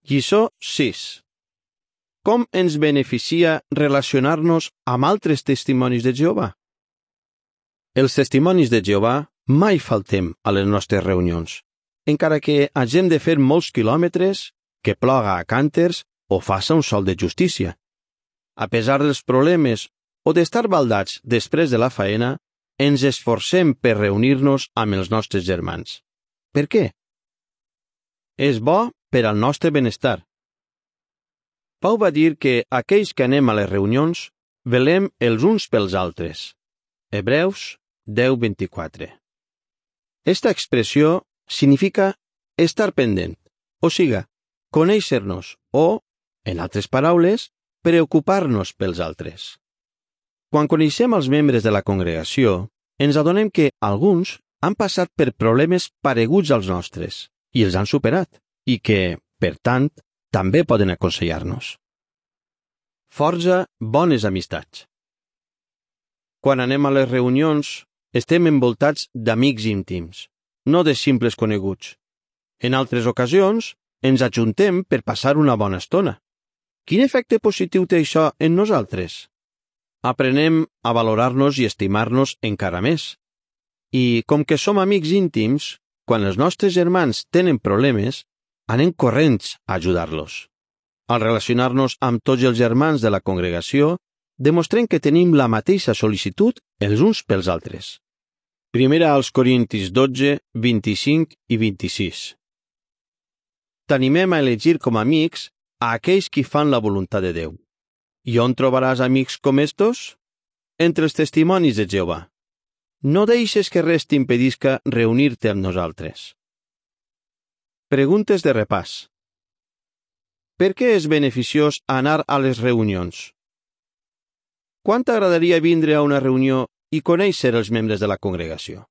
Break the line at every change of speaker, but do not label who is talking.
Lliçó 6. Com ens beneficia relacionar-nos amb altres testimonis de Jehovà? Els testimonis de Jehovà mai faltem a les nostres reunions, encara que hagem de fer molts quilòmetres, que ploga a cànters o faça un sol de justícia. A pesar dels problemes o d'estar baldats després de la faena, ens esforcem per reunir-nos amb els nostres germans. Per què? És bo per al nostre benestar. Pau va dir que aquells que anem a les reunions velem els uns pels altres. Hebreus 10:24. Esta expressió significa estar pendent, o siga, conèixer-nos o, en altres paraules, preocupar-nos pels altres. Quan coneixem els membres de la congregació, ens adonem que alguns han passat per problemes pareguts als nostres i els han superat, i que, per tant, també poden aconsellar-nos. Forja bones amistats. Quan anem a les reunions, estem envoltats d'amics íntims, no de simples coneguts. En altres ocasions, ens ajuntem per passar una bona estona. Quin efecte positiu té això en nosaltres? Aprenem a valorar-nos i estimar-nos encara més. I, com que som amics íntims, quan els nostres germans tenen problemes, anem corrents a ajudar-los. Al relacionar-nos amb tots els germans de la congregació, demostrem que tenim la mateixa sol·licitud els uns pels altres. Primera als Corintis 12, 25 i 26. T'animem a elegir com a amics a aquells qui fan la voluntat de Déu. I on trobaràs amics com estos? Entre els testimonis de Jehovà. No deixes que res t'impedisca reunir-te amb nosaltres. Preguntes de repàs. Per què és beneficiós anar a les reunions? Quant t'agradaria vindre a una reunió i conèixer els membres de la congregació?